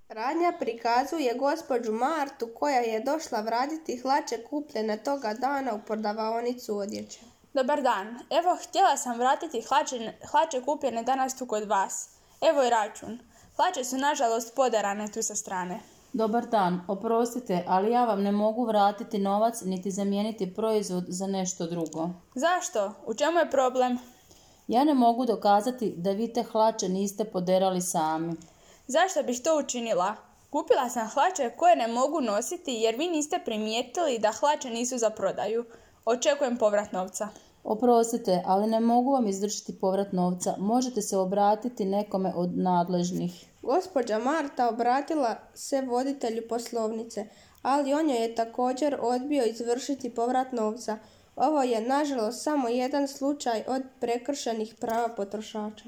Radnja prikazuje gospođu Martu koja je došla vratiti hlače kupljene toga dana u prodavaonicu odjeće. Dobar dan, evo htjela sam vratiti hlače kupljene danas tu kod vas. Evo i račun. Hlače su nažalost poderane tu sa strane. Dobar dan, oprostite, ali ja vam ne mogu vratiti novac niti zamijeniti proizvod za nešto drugo. Zašto? U čemu je problem? Ja ne mogu dokazati da vi te hlače niste poderali sami. Zašto bih to učinila? Kupila sam hlače koje ne mogu nositi jer vi niste primijetili da hlače nisu za prodaju. Očekujem povrat novca. Oprostite, ali ne mogu vam izvršiti povrat novca. Možete se obratiti nekome od nadležnih. Gospođa Marta obratila se voditelju poslovnice, ali on joj je također odbio izvršiti povrat novca. Ovo je nažalost samo jedan slučaj od prekršenih prava potrošača.